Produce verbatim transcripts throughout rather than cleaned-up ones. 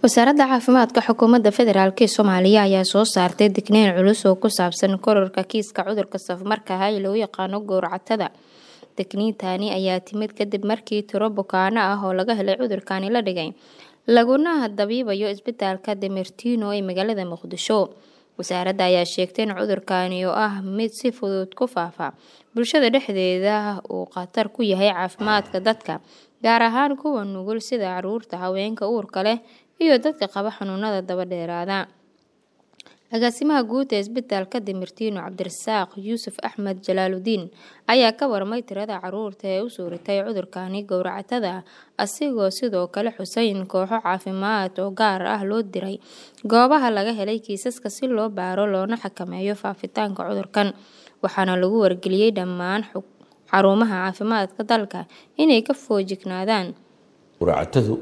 Wasaaradda Caafimaadka Xukuumadda Federaalk ee Soomaaliya ayaa soo saartay digniin culus oo ku saabsan kororka kiiska cudurka safmarka ah ee loo yaqaano gowracatada. Digniintani ayaa timid kadib markii tiro bukaanno ah oo laga helay cudurkani la dhigay, laguna dabiibayo isbitaalka Demertino ee magaalada Muqdisho. Wasaaradda ayaa sheegtay in cudurkani oo ah mid si fudud ku faafa bulshada dhexdeeda uu khatar ku yahay caafimaadka dadka, gaar ahaan kuwa nugul sida carruurta, haweenka uurka leh iyo dadka qaba xanuunada daba dheeraada. Agaasimaha guud ee isbitaalka Demertino, Cabdirasaaq Yuusuf Axmed Jalaaludiin, ayaa ka warmay tirada carruurta ee u suuratay cudurkani gowracatada, asigoo sidoo kale xusay in kooxo caafimaad oo gaar ah loo diray goobaha laga helay kiisaska si loo baaro loona xakameeyo faafitaanka cudurkan. Waxaana lagu wargeliyay dhammaan xarumaha caafimaadka dalka inay ka feejignaadaan. Gowracatadu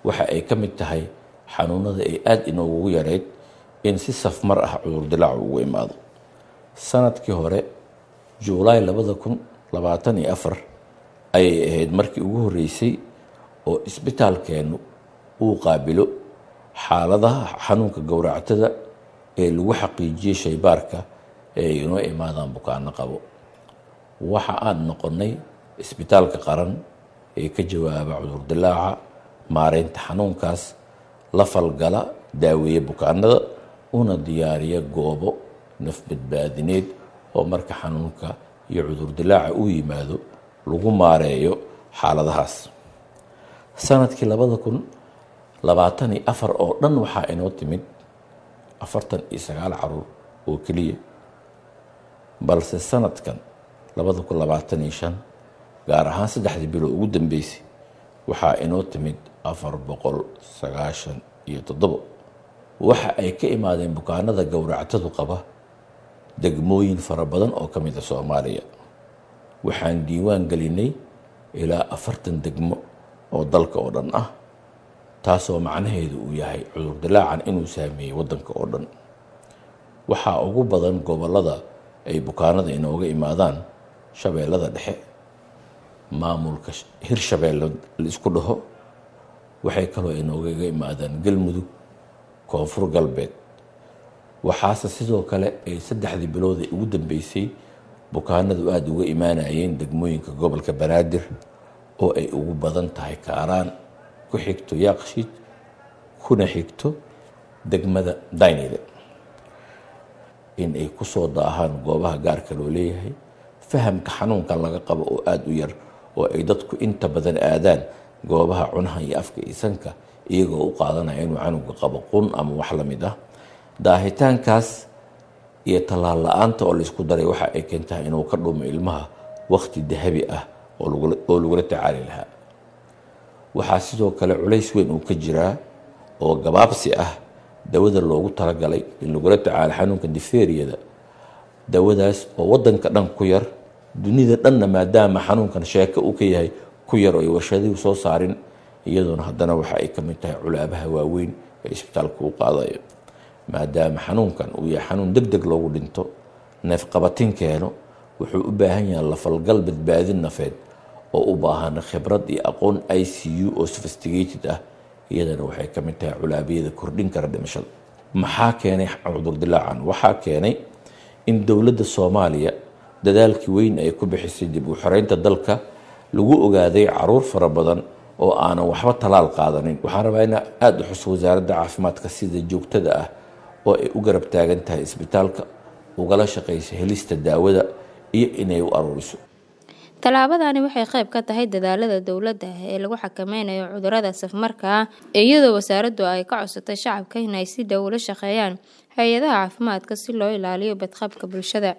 waxa ay ka mid tahay xanuunada ay aada inoogu yareyd in si safmar ah cudur dilaacu ugu imaado. Sanadkii hore Juulaay labada kun labaatan iyo afar ayay ahayd markii ugu horreysay oo isbitaalkeennu uu qaabilo xaaladaha xanuunka gowracatada ee lagu xaqiijiyey shaybaarka ee ay inoo imaadaan bukaanno qabo. Waxa aan noqonnay isbitaalka qaran ee ka jawaaba cudur dilaaca, maareynta xanuunkaas, la falgala, daaweeya bukaanada, una diyaariya goobo nafbadbaadineed oo marka xanuunka iyo cudur dilaaca uu yimaado lagu maareeyo xaaladahaas. Sanadkii labada kun labaatan iyo afar oo dhan waxaa inoo timid afartan iyo sagaal caruur oo keliya, balse sanadkan labada kun labaatan iyo shan gaar ahaan saddexdii bilood ugu dambeysay waxaa inoo timid afar boqol sagaashan iyo toddobo. Waxa ay ka imaadeen bukaanada gowracatadu qaba degmooyin fara badan oo ka mid a Soomaaliya. Waxaan diiwaan gelinay ilaa afartan degmo oo dalka oo dhan ah, taasoo macnaheedu uu yahay cudur dilaacan inuu saameeyey waddanka oo dhan. Waxaa ugu badan gobollada ay bukaanada inooga imaadaan Shabeellada Dhexe, maamulka Hirshabeelle la isku dhaho, waxay kaloo inoogaga imaadaan Galmudug, Koonfur Galbeed. Waxaase sidoo kale ay saddexdii bilood ee ugu dambeysay bukaanadu aada uga imaanayeen degmooyinka gobolka Banaadir oo ay ugu badan tahay Kaaraan, ku xigto Yaaqshiid, kuna xigto degmada Daynile. In ay ku soo daahaan goobaha gaarka loo leeyahay, fahamka xanuunkan laga qabo oo aada u yar, oo ay dadku inta badan aadaan goobaha cunaha iyo afka iyo sanka iyagoo u qaadanaya inuu canuga qabo qun ama wax la mid ah. Daahitaankaas iyo tallaal la-aanta oo laysku daray waxa ay keentaa inuu ka dhumo ilmaha waqti dahabi ah oo lagula tacaali lahaa. Waxaa sidoo kale culays weyn uu ka jiraa oo gabaabsi ah dawada loogu talagalay in lagula tacaalo xanuunka difteeriyada, dawadaas oo waddanka dhan ku yar, dunida dhanna maadaama xanuunkan sheeko uu ka yahay ku yar oo ay warshaduhu soo saarin, iyadoona haddana waxa ay ka mid tahay culaabaha waaweyn ee isbitaalka uu qaadayo. Maadaama xanuunkan uu yahay xanuun deg deg loogu dhinto, neefqabatin keeno, wuxuu u baahan yahay lafalgal badbaadin nafeed oo u baahan khibrad iyo aqoon I C U oo sophisticated ah, iyadana waxay ka mid tahay culaabyada kordhin kara dhimashada. Maxaa keenay cudur dilaacan? Waxaa keenay in dowladda Soomaaliya dadaalkii weyn ay ku bixisay dib u xoreynta dalka lagu ogaaday caruur fara badan oo aanan waxba talaal qaadanin. Waxaan rabaa inaan aada u xuso wasaaradda caafimaadka sida joogtada ah oo ay u garab taagan tahay isbitaalka, ugala shaqeyso helista daawada iyo inay u aruuriso. Tallaabadani waxay qayb ka tahay dadaalada dowladda ee lagu xakameynayo cudurrada safmarka ah, iyadoo wasaaraddu ay ka codsatay shacabka inay si dhow ula shaqeeyaan hay'adaha caafimaadka si loo ilaaliyo badqabka bulshada.